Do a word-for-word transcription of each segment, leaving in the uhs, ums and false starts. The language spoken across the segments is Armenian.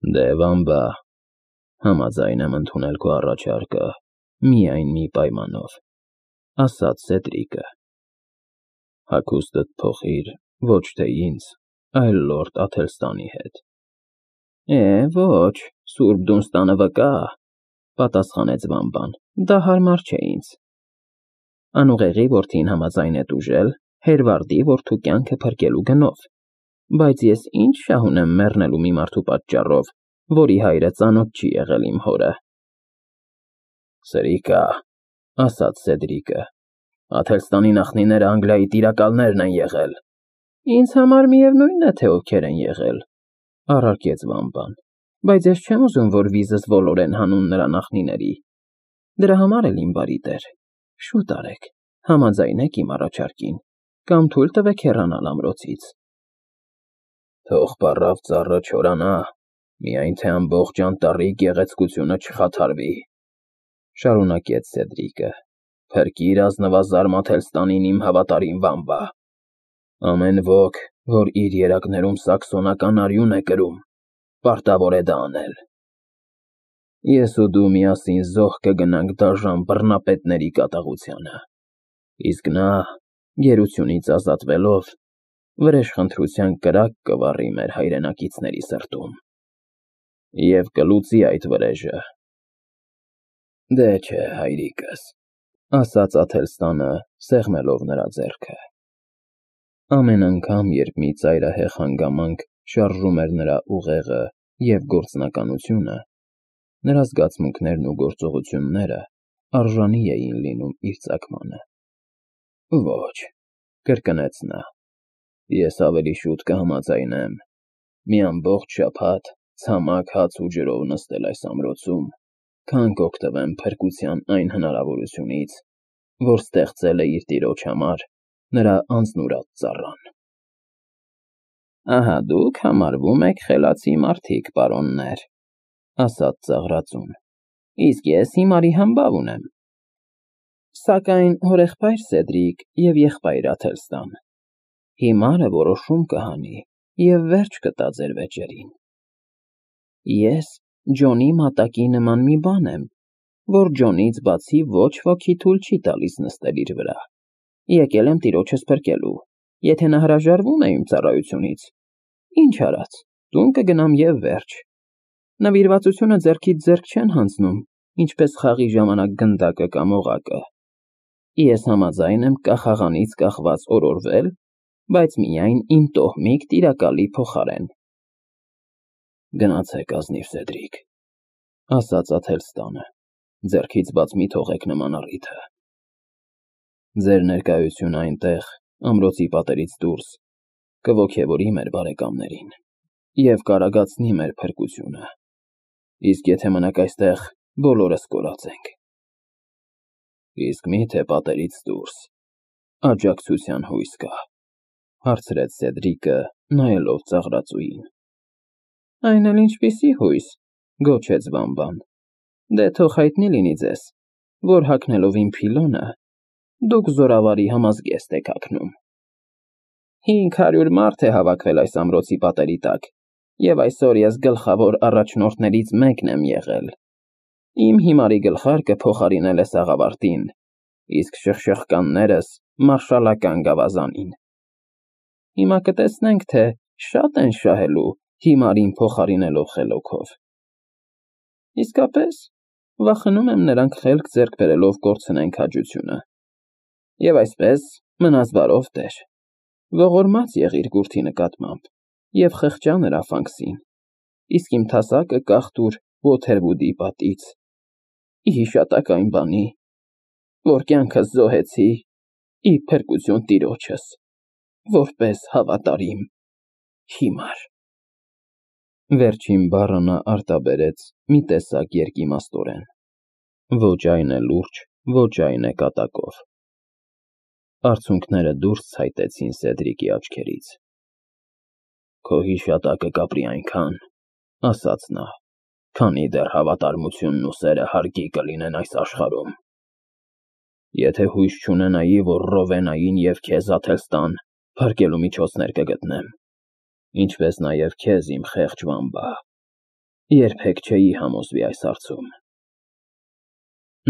Դե վամբա, համաձայն եմ ընդունել քո առաջարկը, միայն մի պայմանով, ասաց Սեդրիկը. հագուստդ փոխիր ոչ թե ինձ, այլ լորդ Աթելստանի հետ։ Է, ոչ, Սուրբ Դունստանը վկա, պատասխանեց վամբան, դա հարմար չէ ինձ։ Անուղեղի որդին համաձայն է տուժել Հերվարդի որդու կյանքը փրկելու գնով, բայց ես ինչ շահ ունեմ մեռնելու մի մարդու պատճառով, որի հայրը ծանոթ չի եղել իմ հորը։ Սրիկա, ասաց Սեդրիկը, Աթելստանի նախնիները Անգլիայի տիրակալներն են եղել։ Ինձ համար միևնույն է, թե ովքեր են եղել, առարկեց վամբան, բայց ես չեմ ուզում, որ վիզս ոլորեն հանուն նրա նախնիների։ Դրա համար էլ իմ բարի տեր, շուտ արեք, համաձայնեք իմ առաջարկին, կամ թույլ տվեք հեռանալ ամրոցից։ Թող պառավ ծառը չորանա, միայն թե ամբողջ անտառի գեղեցկությունը չխաթարվի, շարունակեց Սեդրիկը, փրկիր ազնվազարմ Աթելստանին իմ հավատարիմ վամբա։ Ամեն ոք, որ իր երակներում սաքսոնական արյուն է կրում, պարտավոր է դա անել։ Ես ու դու միասին զոհ կգնանք դաժան բռնապետների կատաղությանը, իսկ նա, գերությունից ազատվելով, վրեժխնդրության կրակ կվառի մեր հայրենակիցների սրտում և կլուծի այդ վրեժը։ Դե չէ, հայրիկս, ասաց Աթելստանը, սեղմելով նրա ձեռքը։ Ամեն անգամ, երբ մի ծայրահեղ հանգամանք շարժում էր նրա ուղեղը և գործնականությունը, նրա զգացմունքներն ու գործողությունները արժանի էին լինում իր ծագմանը։ Ոչ, կրկնեց նա, ես ավելի շուտ կհամաձայնեմ մի ամբողջ շաբաթ ցամաք հաց ու ջրով նստել այս ամրոցում, քան կօգտվեմ փրկության այն հնարավորությունից, որ ստեղծել է իր տիրոջ համար նրա անձնուրաց ծառան։ Ահա դուք համարվում եք խելացի մարդիկ, պարոններ, ասաց ծաղրածուն, իսկ ես հիմարի համբավ ունեմ։ Սակայն հորեղբայր Սեդրիկ և եղբայր Աթելստան, հիմարը որոշում կհանի և վերջ կտա ձեր վեճերին։ Ես Ջոնի մատակի նման մի բան եմ, որ Ջոնից բացի ոչ ոքի թույլ չի տալիս նստել իր վրա։ Եկել եմ տիրոջս փրկելու, եթե նա հրաժարվում է իմ ծառայությունից, ինչ արած, տուն կգնամ և վերջ։ Նվիրվածությունը ձեռքից ձեռք չեն հանձնում, ինչպես խաղի ժամանակ գնդակը կամ օղակը։ Ես համաձայն եմ կախաղանից կախված օրորվել, բայց միայն իմ տոհմիկ տիրակալի փոխարեն։ Գնացեք ազնիվ Սեդրիկ, ասաց Աթելստանը, ձեռքից բաց մի թողեք նման առիթը։ Ձեր ներկայությունը այնտեղ, ամրոցի պատերից դուրս, կոգևորի մեր բարեկամներին և կարագացնի մեր փրկությունը, իսկ եթե մնաք այստեղ, բոլորս կորածենք։ Իսկ մի՞թե պատերից դուրս աջակցության հույս կա, հարցրեց Սեդրիկը, նայելով ծաղրածուին։ Այն էլ ինչպիսի հույս, գոչեց վամբան, դե թող հայտնի լինի ձեզ, որ հագնելով իմ փիլոնը, դուք զորավարի համազգեստ եք հագնում։ Հինգ հարյուր մարդ է հավաքվել այս ամրոցի պատերի տակ, և այսօր ես գլխավոր առաջնորդներից մեկն եմ եղել։ Իմ հիմարի գլխարկը փոխարինել է սաղավարտին, իսկ շխշխկաններս մարշալական գավազանին։ Հիմա կտեսնենք, թե շա՞տ են շահելու հիմարին փոխարինելով խելոքով։ Իսկապես, վախենում եմ նրանք խելք ձեռք բերելով կորցնեն քաջությունը։ Եվ այսպես, մնաս բարով տեր, ողորմած եղիր Գուրթի նկատմամբ և խղճա նրա ֆանքսին, իսկ իմ թասակը կախտուր Ոթերվուդի պատից, ի հիշատակ այն բանի, որ կյանքս զոհեցի ի փրկություն տիրոջս, որպես հավատարիմ հիմար։ Վերջին բառը նա արտաբերեց մի տեսակ երկիմաստորեն, ոչ այն է լուրջ, ոչ այն է կատակով։ Արցունքները դուրս ցայտեցին Սեդրիկի աչքերից։ Քո հիշատակը կապրի այնքան, ասաց նա, քանի դեռ հավատարմությունն ու սերը հարգի կլինեն այս աշխարհում։ Եթե հույս չունենայի, որ Ռովենային և քեզ, Աթելստան, փրկելու միջոցներ կգտնեմ, ինչպես նաև քեզ, իմ խեղճ վամբա, երբեք չէի համոզվի այս հարցում։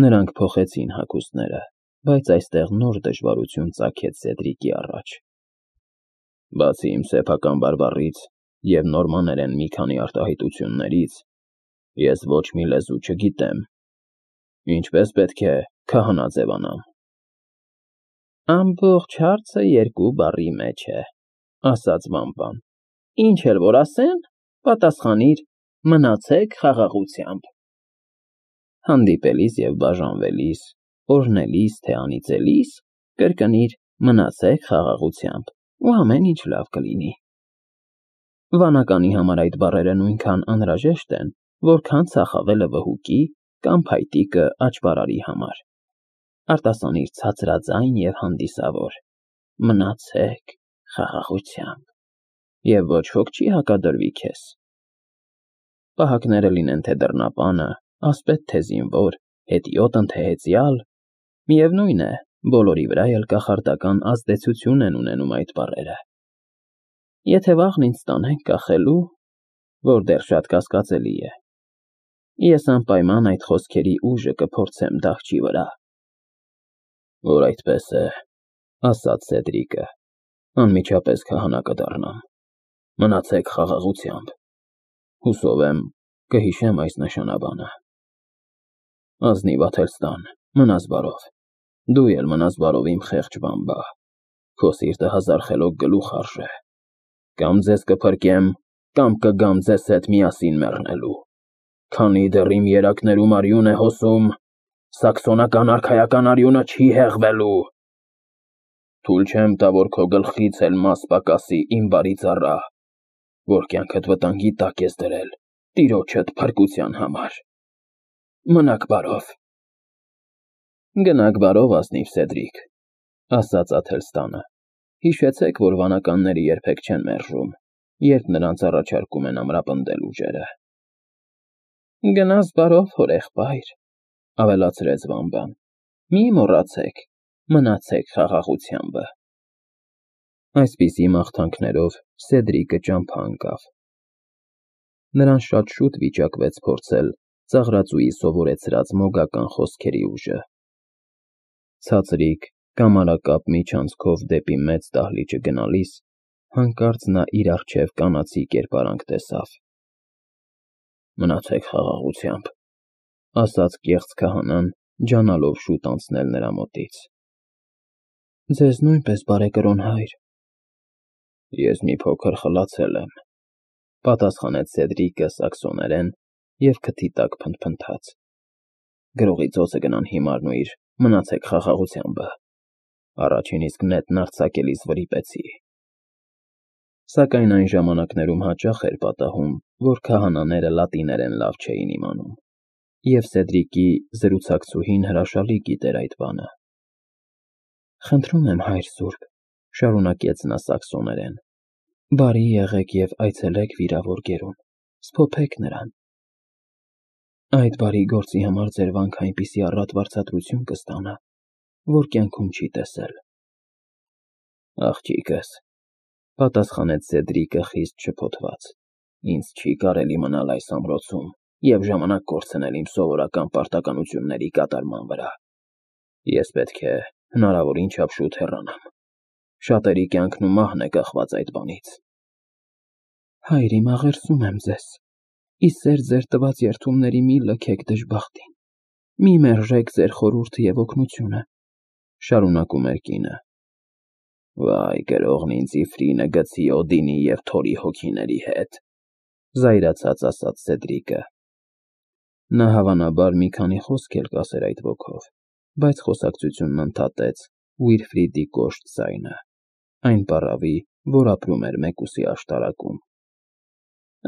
Նրանք փոխեցին հագուստները, բայց այստեղ նոր դժվարություն ծագեց Սեդրիկի առաջ։ Բացի իմ սեփական բարբառից և նորմաներեն մի քանի արտահայտություններից, ես ոչ մի լեզու չգիտեմ, ինչպես պետք է քահանա ձևանամ։ Ամբողջ հարցը երկու բառի մեջ է, ասաց Վամպան, ինչ էլ որ ասեն, պատասխանիր, մնացեք խաղաղությամբ։ Հանդիպելիս և բաժանվելիս, օրհնելիս, թե անիծելիս, կրկնիր մնացեք խաղաղությամբ, ու ամեն ինչ լավ կլինի։ Վանականի համար այդ բառերը նույնքան անհրաժեշտ են, որքան ծախավելը վհուկի կամ փայտիկը աճպարարի համար։ Արտասանիր ցածրաձայն և հանդիսավոր, մնացեք խաղաղությամբ, և ոչ ոք չի հակադրվի քեզ։ Պահակները լինեն թե դռնապանը, ասպետ թե զինվոր, հետիոտն թե հեծյալ, միևնույն է, բոլորի վրա էլ կախարդական ազդեցություն են ունենում այդ բառերը։ Եթե վաղն ինձ տանեն կախելու, որ դեռ շատ կասկածելի է, ես անպայման այդ խոսքերի ուժը կփորձեմ դահչի վրա։ Որ այդպես է, ասաց Սեդրիկը, անմիջապես քահանա կդառնամ, մնացեք խաղաղությամբ, հուսով եմ կհիշեմ այս նշանաբանը։ Ազնիվ Աթելստան, մնաս բարով, դու էլ մնաս բարով իմ խեղճ Վամբա, քո սիրտը հազար խելոք գլուխ արժե, կամ ձեզ կփրկեմ, կամ կգամ ձեզ հետ միասին մեռնելու, քանի դեռ իմ երակներում արյուն է հոսում, սաքսոնական արքայական արյունը չի հեղվելու։ Թույլ չեմ տա, որ քո գլխից էլ մաս պակասի իմ բարի ծառա, որ կյանքդ վտանգի տակ ես դրել տիրոջդ փրկության համար։ Մնաք բարով։ Գնաք բարով, ազնիվ Սեդրիկ, ասաց Աթելստանը, հիշեցեք, որ վանականները երբեք չեն մերժում, երբ նրանց առաջարկում են ամրապնդել ուժերը։ Գնաս բարով, հորեղբայր, ավելացրեց Վամբան, մի մոռացեք, մնացեք խաղաղությամբ։ Այսպիսի մաղթանքներով Սեդրիկը ճամփա ընկավ։ Նրան շատ շուտ վիճակվեց փորձել ծաղրածուի սովորեցրած մոգական խոսքերի ուժը։ Ցածրիկ, կամարակապ միջանցքով դեպի մեծ դահլիճը գնալիս, հանկարծ նա իր առջև կանացի կերպարանք տեսավ։ Մնացեք խաղաղությամբ, ասաց կեղծ քահանան, ջանալով շուտ անցնել նրա մոտից։ Ձեզ նույնպես, բարեկրոն հայր։ Ես մի փոքր խլացել եմ, պատասխանեց Սեդրիկը սաքսոներեն և քթի տակ փնթփնթաց։ Գրողի ծոցը գնան հիմարն ուր, մնացեք խաղաղությամբ, առաջին իսկ նետն արձակելիս վրիպեցի։ Սակայն այն ժամանակներում հաճախ էր պատահում, որ քահանաները լատիներեն լավ չէին իմանում, և Սեդրիկի զրուցակցուհին հրաշալի գիտեր այդ բանը։ Խնդրում եմ, հայր սուրբ, շարունակեց նա սաքսոներեն, բարի եղեք և այցելեք վիրավոր գերուն, սփոփեք նրան։ Այդ բարի գործի համար ձեր վանքը այնպիսի առատ վարձատրություն կստանա, որ կյանքում չի տեսել։ Աղջիկս, պատասխանեց Սեդրիկը խիստ շփոթված, ինձ չի կարելի մնալ այս ամրոցում և ժամանակ կորցնել իմ սովորական պարտականությունների կատարման վրա։ Ես պետք է հնարավորին չափ շուտ հեռանամ։ Շատերի կյանքն ու մահն է կախված այդ բանից։ Հայր իմ, աղերսում եմ ձեզ, ի սեր ձեր տված երդումների մի լքեք դժբախտին, մի մերժեք ձեր խորհուրդը և օգնությունը, շարունակում էր կինը։ Վայ, գրողն ինձ Իֆրինը գցի Օդինի և Թորի հոգիների հետ, զայրացած ասաց Սեդրիկը։ Նա հավանաբար մի քանի խոսք էլ կասեր այդ ոգով, բայց խոսակցությունն ընդհատեց Ուիլֆրիդի կոշտ ձայնը, այն պառավի, որ ապրում էր մեկուսի աշտարակում։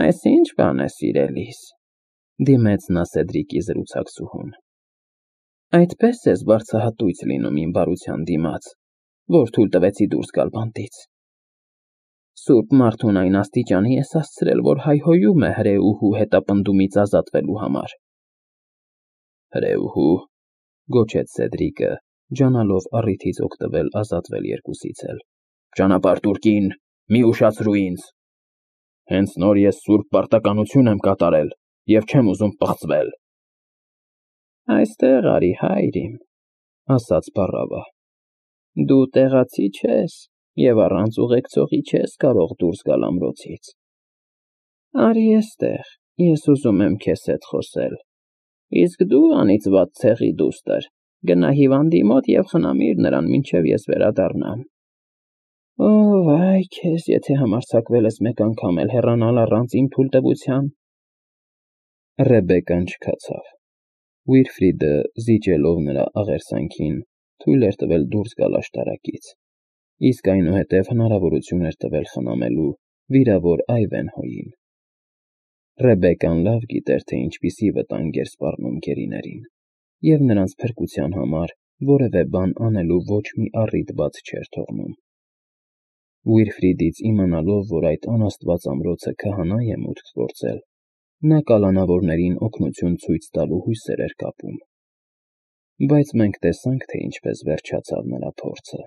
Այս ի՞նչ բան է, սիրելիս, դիմեց նա Սեդրիկի զրուցակցուհուն։ Այդպես ես վարձահատույց լինում իմ բարության դիմաց, որ թույլ տվեցի դուրս գալ բանտից։ Սուրբ մարդուն այն աստիճանի ես հասցրել, որ հայհոյում է հրեուհու հետապնդումից ազատվելու համար։ Հրեուհու, գոչեց Սեդրիկը, ջանալով առիթից օգտվել ազատվել երկուսից էլ։ Ճանապարհ տուր, կին, մի ուշացրու ինձ։ Հենց նոր ես սուրբ պարտականություն եմ կատարել, և չեմ ուզում պղծվել։ Այստեղ արի, հայր իմ, ասաց փառավը, դու տեղացի չես և առանց ուղեկցողի չես կարող դուրս գալ ամրոցից։ Արի էստեղ, ես ուզում եմ քեզ հետ խոսել, իսկ դու, անիծված ցեղի դուստր, գնա հիվանդի մոտ և խնամիր նրան, մինչև ես վերադառնամ։ Օ, վայ քեզ, եթե համարձակվել ես մեկ անգամ էլ հեռանալ առանց իմ թույլտվության… Ռեբեկկան չքացավ։ Վիլֆրիդը, զիջելով նրա աղերսանքին, թույլ էր տվել դուրս գալ աշտարակից, իսկ այնուհետև հնարավորություն էր տվել խնամելու վիրավոր Այվենհոյին։ Ռեբեկկան լավ գիտեր, թե ինչպիսի վտանգ էր սպառնում գերիներին, և նրանց փրկության համար որևէ բան անելու ոչ մի առիթ բաց չէր թողնում։ Վիլֆրիդից իմանալով, որ այդ անաստված ամրոցը քահանա է մուտք գործել, նա կալանավորներին օգնություն ցույց տալու հույսեր էր կապում։ Բայց մենք տեսանք, թե ինչպես վերջացավ նրա փորձը։